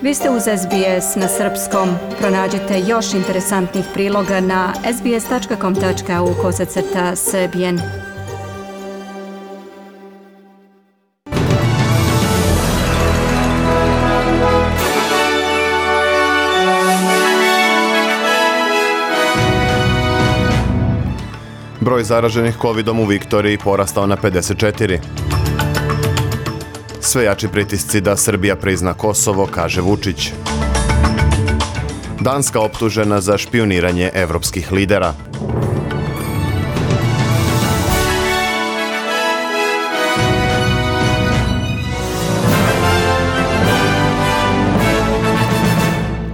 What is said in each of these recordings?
Vi ste uz SBS na srpskom. Pronađite još interesantnih priloga na sbs.com.au/srbijen. Broj zaraženih covidom u Viktoriji porastao na 54. Sve jači pritisci da Srbija prizna Kosovo, kaže Vučić. Danska optužena za špijuniranje evropskih lidera.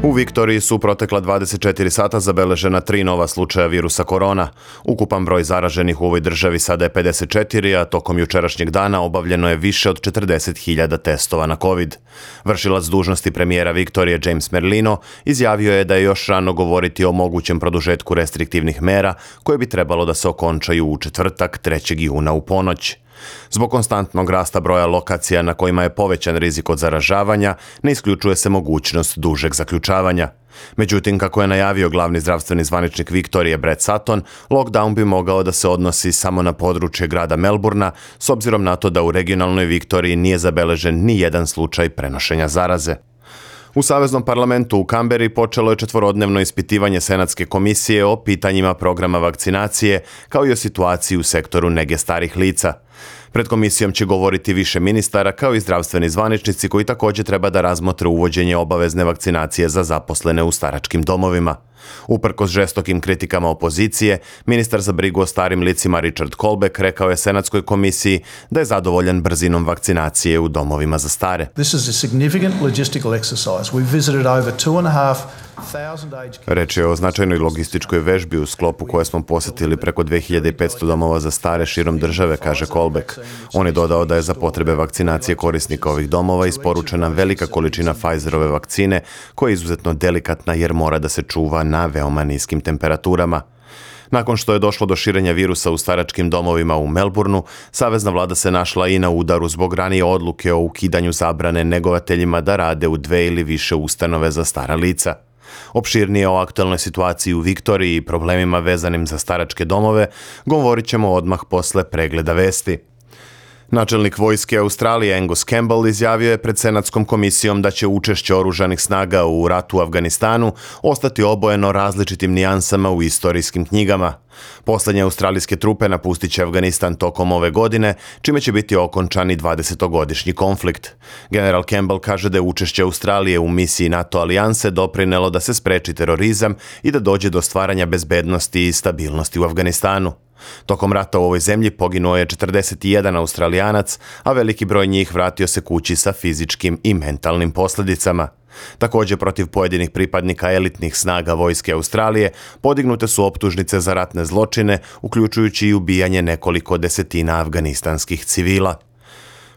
U Viktoriji su protekla 24 sata zabeležena 3 nova slučaja virusa korona. Ukupan broj zaraženih u ovoj državi sada je 54, a tokom jučerašnjeg dana obavljeno je više od 40.000 testova na COVID. Vršilac dužnosti premijera Viktorije James Merlino izjavio je da je još rano govoriti o mogućem produžetku restriktivnih mera koje bi trebalo da se okončaju u četvrtak 3. juna u ponoć. Zbog konstantnog rasta broja lokacija na kojima je povećan rizik od zaražavanja, ne isključuje se mogućnost dužeg zaključavanja. Međutim, kako je najavio glavni zdravstveni zvaničnik Viktorije Brett Sutton, lockdown bi mogao da se odnosi samo na područje grada Melburna, s obzirom na to da u regionalnoj Viktoriji nije zabeležen ni jedan slučaj prenošenja zaraze. U Saveznom parlamentu u Kamberi počelo je 4-dnevno ispitivanje Senatske komisije o pitanjima programa vakcinacije, kao i o situaciji u sektoru nege starih lica. Pred komisijom će govoriti više ministara, kao i zdravstveni zvaničnici koji također treba da razmotre uvođenje obavezne vakcinacije za zaposlene u staračkim domovima. Uprkos žestokim kritikama opozicije, ministar za brigu o starim licima Richard Colbeck rekao je Senatskoj komisiji da je zadovoljan brzinom vakcinacije u domovima za stare. Reč je o značajnoj logističkoj vežbi u sklopu koje smo posjetili preko 2500 domova za stare širom države, kaže Colbeck. On je dodao da je za potrebe vakcinacije korisnika ovih domova isporučena velika količina Pfizerove vakcine, koja je izuzetno delikatna jer mora da se čuva na veoma niskim temperaturama. Nakon što je došlo do širenja virusa u staračkim domovima u Melbourneu, savezna vlada se našla i na udaru zbog ranije odluke o ukidanju zabrane negovateljima da rade u 2 ili više ustanove za stara lica. Opširnije o aktualnoj situaciji u Viktoriji i problemima vezanim za staračke domove govorit ćemo odmah posle pregleda vesti. Načelnik vojske Australije Angus Campbell izjavio je pred Senatskom komisijom da će učešće oružanih snaga u ratu u Afganistanu ostati obojeno različitim nijansama u istorijskim knjigama. Poslednje australijske trupe napustit će Afganistan tokom ove godine, čime će biti okončani 20-godišnji konflikt. General Campbell kaže da je učešće Australije u misiji NATO alijanse doprinelo da se spreči terorizam i da dođe do stvaranja bezbednosti i stabilnosti u Afganistanu. Tokom rata u ovoj zemlji poginuo je 41 Australijanac, a veliki broj njih vratio se kući sa fizičkim i mentalnim posljedicama. Također protiv pojedinih pripadnika elitnih snaga vojske Australije podignute su optužnice za ratne zločine, uključujući i ubijanje nekoliko desetina afganistanskih civila.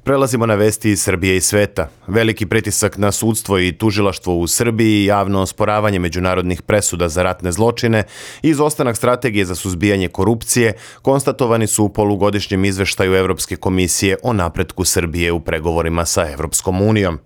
Prelazimo na vesti iz Srbije i sveta. Veliki pritisak na sudstvo i tužilaštvo u Srbiji, javno osporavanje međunarodnih presuda za ratne zločine i izostanak strategije za suzbijanje korupcije konstatovani su u polugodišnjem izveštaju Evropske komisije o napretku Srbije u pregovorima sa Evropskom unijom.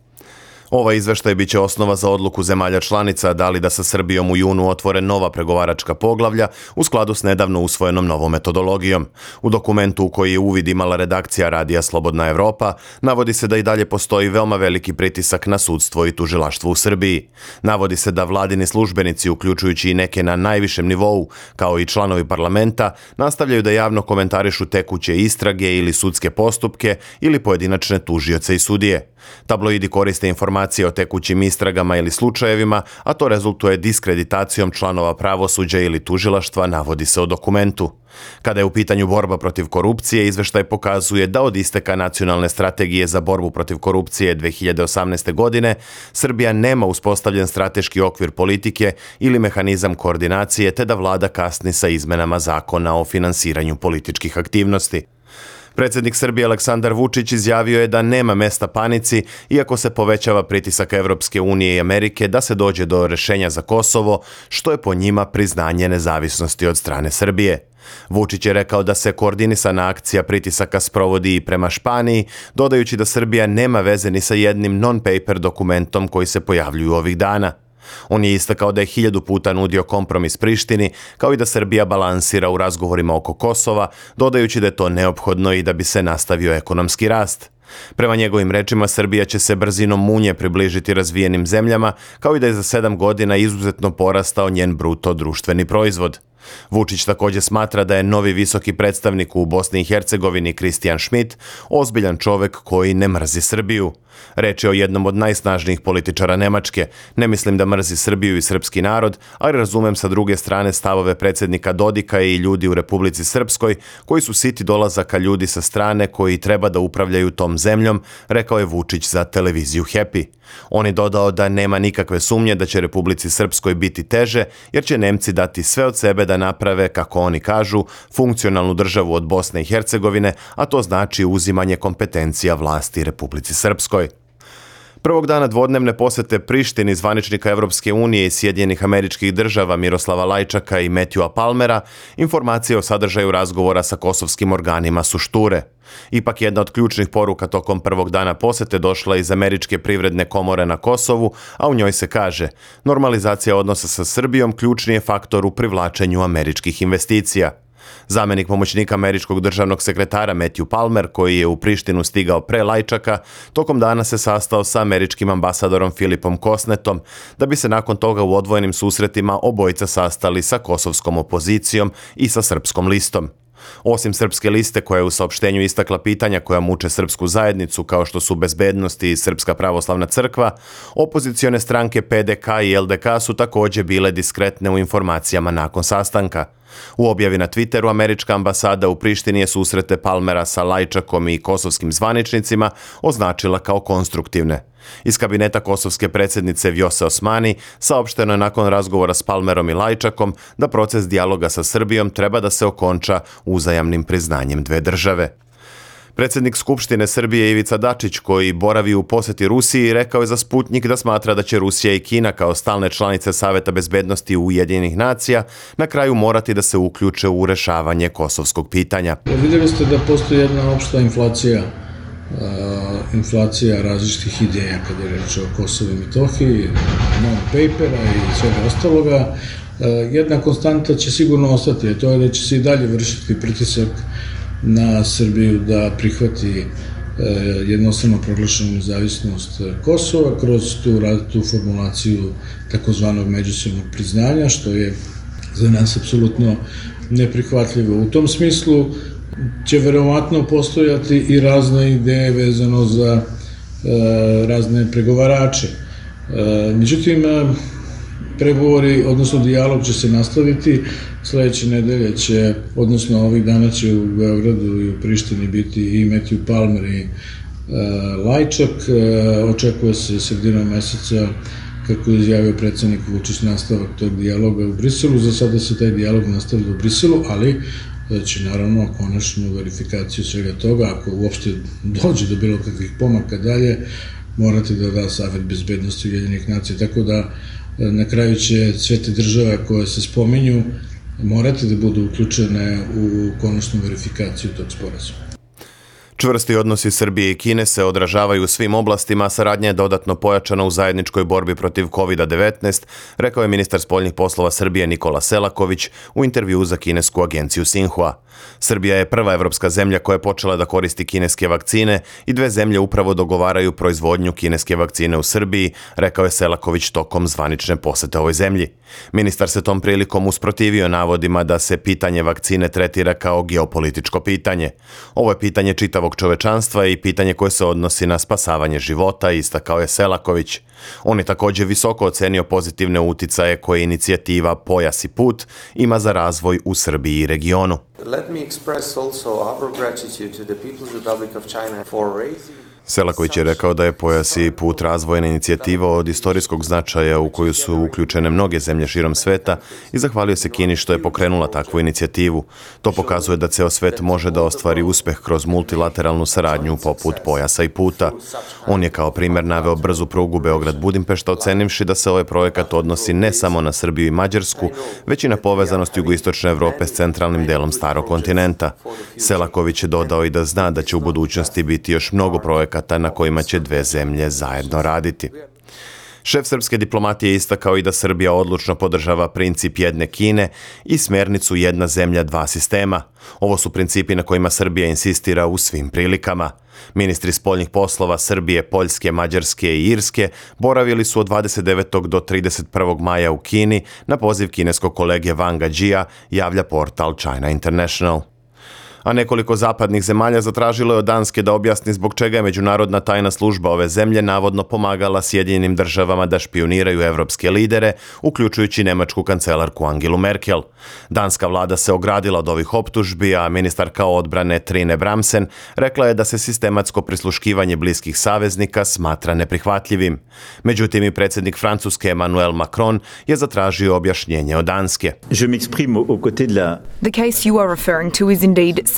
Ovaj izveštaj biće osnova za odluku zemalja članica da li da sa Srbijom u junu otvore nova pregovaračka poglavlja u skladu s nedavno usvojenom novom metodologijom. U dokumentu u koji je uvid imala redakcija radija Slobodna Evropa, navodi se da i dalje postoji veoma veliki pritisak na sudstvo i tužilaštvo u Srbiji. Navodi se da vladini službenici, uključujući i neke na najvišem nivou, kao i članovi parlamenta, nastavljaju da javno komentarišu tekuće istrage ili sudske postupke ili pojedinačne tužioce i sudije. Tabloidi koriste informacije o tekućim istragama ili slučajevima, a to rezultuje diskreditacijom članova pravosuđa ili tužilaštva, navodi se u dokumentu. Kada je u pitanju borba protiv korupcije, izveštaj pokazuje da od isteka nacionalne strategije za borbu protiv korupcije 2018. godine Srbija nema uspostavljen strateški okvir politike ili mehanizam koordinacije, te da vlada kasni sa izmenama zakona o finansiranju političkih aktivnosti. Predsjednik Srbije Aleksandar Vučić izjavio je da nema mesta panici, iako se povećava pritisak Evropske unije i Amerike da se dođe do rješenja za Kosovo, što je po njima priznanje nezavisnosti od strane Srbije. Vučić je rekao da se koordinisana akcija pritisaka sprovodi i prema Španiji, dodajući da Srbija nema veze ni sa jednim non-paper dokumentom koji se pojavljuju ovih dana. On je istakao da je 1000 puta nudio kompromis Prištini, kao i da Srbija balansira u razgovorima oko Kosova, dodajući da je to neophodno i da bi se nastavio ekonomski rast. Prema njegovim rečima, Srbija će se brzinom munje približiti razvijenim zemljama, kao i da je za 7 godina izuzetno porastao njen bruto društveni proizvod. Vučić također smatra da je novi visoki predstavnik u Bosni i Hercegovini Christian Schmidt ozbiljan čovjek koji ne mrzi Srbiju. Reč je o jednom od najsnažnijih političara Nemačke. Ne mislim da mrzi Srbiju i srpski narod, ali razumem sa druge strane stavove predsjednika Dodika i ljudi u Republici Srpskoj koji su siti dolazaka ljudi sa strane koji treba da upravljaju tom zemljom, rekao je Vučić za televiziju Happy. On je dodao da nema nikakve sumnje da će Republici Srpskoj biti teže, jer će Nemci dati sve od sebe da naprave, kako oni kažu, funkcionalnu državu od Bosne i Hercegovine, a to znači uzimanje kompetencija vlasti Republici Srpskoj. Prvog dana dvodnevne posete Prištini zvaničnika Evropske unije i Sjedinjenih Američkih Država Miroslava Lajčaka i Matthewa Palmera, informacije o sadržaju razgovora sa kosovskim organima su šture. Ipak jedna od ključnih poruka tokom prvog dana posete došla iz Američke privredne komore na Kosovu, a u njoj se kaže: normalizacija odnosa sa Srbijom ključni je faktor u privlačenju američkih investicija. Zamjenik pomoćnika američkog državnog sekretara Matthew Palmer, koji je u Prištinu stigao pre Lajčaka, tokom dana se sastao sa američkim ambasadorom Filipom Kosnetom, da bi se nakon toga u odvojenim susretima obojica sastali sa kosovskom opozicijom i sa srpskom listom. Osim srpske liste, koja je u saopštenju istakla pitanja koja muče srpsku zajednicu, kao što su bezbednost i Srpska pravoslavna crkva, opozicione stranke PDK i LDK su također bile diskretne u informacijama nakon sastanka. U objavi na Twitteru američka ambasada u Prištini je susrete Palmera sa Lajčakom i kosovskim zvaničnicima označila kao konstruktivne. Iz kabineta kosovske predsjednice Vjose Osmani saopšteno je nakon razgovora s Palmerom i Lajčakom da proces dijaloga sa Srbijom treba da se okonča uzajamnim priznanjem dve države. Predsjednik Skupštine Srbije Ivica Dačić, koji boravi u posjeti Rusiji, rekao je za Sputnik da smatra da će Rusija i Kina kao stalne članice Saveta bezbednosti Ujedinjenih nacija na kraju morati da se uključe u rešavanje kosovskog pitanja. Vidjeli ste da postoji jedna opšta inflacija različitih ideja kada je reč o Kosovu i Metohiji, non-papera i svega ostaloga. Jedna konstanta će sigurno ostati, a to je da će se i dalje vršiti pritisak na Srbiju da prihvati jednostavno proglašenu nezavisnost Kosova kroz tu formulaciju takozvanog međusobnog priznanja, što je za nas apsolutno neprihvatljivo. U tom smislu će verovatno postojati i razne ideje vezano za razne pregovarače. Međutim, pregovori, odnosno dijalog će se nastaviti. Sledeće nedelje će, odnosno ovih dana će u Beogradu i u Prištini biti i Matthew Palmer i Lajčak. Očekuje se sredinom meseca, kako je izjavio predsjednik Vučić, nastavak tog dijaloga u Briselu. Za sada se taj dijalog nastavlja u Briselu, ali će naravno konačnu verifikaciju svega toga, ako uopšte dođe do bilo kakvih pomaka dalje, morati da da Savet bezbednosti Ujedinjenih nacija. Tako da na kraju će sve te države koje se spominju morati da budu uključene u konačnu verifikaciju tog sporazuma. Čvrsti odnosi Srbije i Kine se odražavaju u svim oblastima, a saradnja je dodatno pojačana u zajedničkoj borbi protiv COVID-19, rekao je ministar spoljnih poslova Srbije Nikola Selaković u intervjuu za kinesku agenciju Xinhua. Srbija je prva evropska zemlja koja je počela da koristi kineske vakcine i dve zemlje upravo dogovaraju proizvodnju kineske vakcine u Srbiji, rekao je Selaković tokom zvanične posete ovoj zemlji. Ministar se tom prilikom usprotivio navodima da se pitanje vakcine tretira kao geopolitičko pitanje. Ovo je pitanje čitavog čovečanstva i pitanje koje se odnosi na spasavanje života, istakao je Selaković. On je također visoko ocenio pozitivne uticaje koje inicijativa Pojas i put ima za razvoj u Srbiji i regionu. Let me express also our gratitude to the People's Republic of China for raising Selaković je rekao da je Pojas i put razvojna inicijativa od istorijskog značaja u koju su uključene mnoge zemlje širom sveta i zahvalio se Kini što je pokrenula takvu inicijativu. To pokazuje da ceo svet može da ostvari uspeh kroz multilateralnu saradnju poput Pojasa i puta. On je kao primjer naveo brzu prugu Beograd-Budimpešta, ocenivši da se ovaj projekat odnosi ne samo na Srbiju i Mađarsku, već i na povezanost jugoistočne Evrope s centralnim delom starog kontinenta. Selaković je dodao i da zna da će u budućnosti biti još mnogo projekata na kojima će dve zemlje zajedno raditi. Šef srpske diplomatije istakao i da Srbija odlučno podržava princip jedne Kine i smernicu jedna zemlja, dva sistema. Ovo su principi na kojima Srbija insistira u svim prilikama. Ministri spoljnih poslova Srbije, Poljske, Mađarske i Irske boravili su od 29. do 31. maja u Kini na poziv kineskog kolege Wanga Jia, javlja portal China International. A nekoliko zapadnih zemalja zatražilo je od Danske da objasni zbog čega je međunarodna tajna služba ove zemlje navodno pomagala Sjedinjenim državama da špijuniraju evropske lidere, uključujući nemačku kancelarku Angelu Merkel. Danska vlada se ogradila od ovih optužbi, a ministarka odbrane Trine Bramsen rekla je da se sistematsko prisluškivanje bliskih saveznika smatra neprihvatljivim. Međutim, i predsjednik Francuske Emmanuel Macron je zatražio objašnjenje od Danske. The case you are referring to is indeed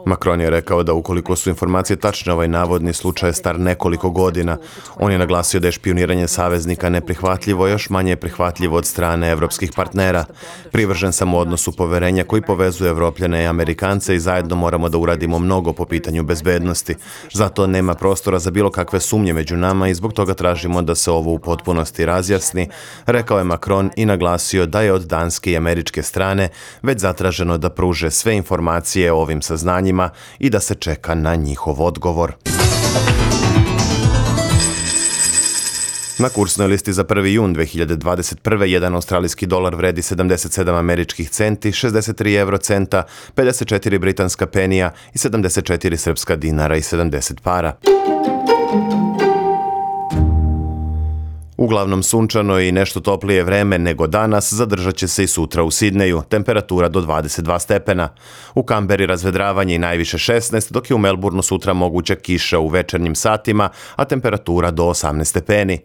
Macron je rekao da ukoliko su informacije tačne, ovaj navodni slučaj je star nekoliko godina. On je naglasio da je špijuniranje saveznika neprihvatljivo, još manje je prihvatljivo od strane evropskih partnera. Privržen sam u odnosu poverenja koji povezuje Evropljane i Amerikance i zajedno moramo da uradimo mnogo po pitanju bezbednosti. Zato nema prostora za bilo kakve sumnje među nama i zbog toga tražimo da se ovo u potpunosti razjasni, rekao je Macron i naglasio da je od danske i američke strane već zatraženo da pruže sve informacije o ovim saznanjima i da se čeka na njihov odgovor. Na kursnoj listi za 1. jun 2021. jedan australijski dolar vredi 77 američkih centi, 63 eurocenta, 54 britanska penija i 74 srpska dinara i 70 para. Uglavnom sunčano i nešto toplije vreme nego danas, zadržat će se i sutra u Sidneju, temperatura do 22 stepena. U Kamberi razvedravanje i najviše 16, dok je u Melbourneu sutra moguća kiša u večernjim satima, a temperatura do 18 stepeni.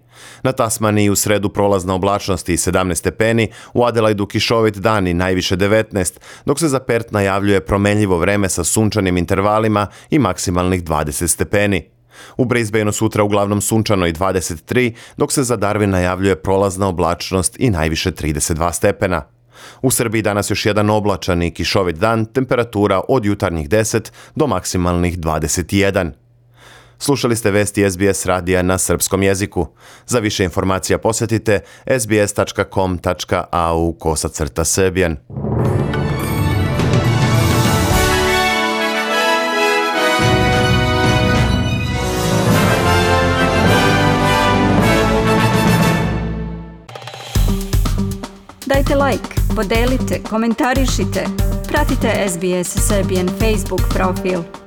Na Tasmaniji u sredu prolazna oblačnost i 17 stepeni, u Adelaidu kišovit dan i najviše 19, dok se za Perth najavljuje promenljivo vreme sa sunčanim intervalima i maksimalnih 20 stepeni. U Brisbaneu sutra uglavnom sunčano i 23, dok se za Darwin najavljuje prolazna oblačnost i najviše 32 stepena. U Srbiji danas još jedan oblačan i kišovit dan, temperatura od jutarnjih 10 do maksimalnih 21. Slušali ste vesti SBS radija na srpskom jeziku. Za više informacija posjetite sbs.com.au/serbian. Dajte like, podelite, komentarišite. Pratite SBS Serbian Facebook profil.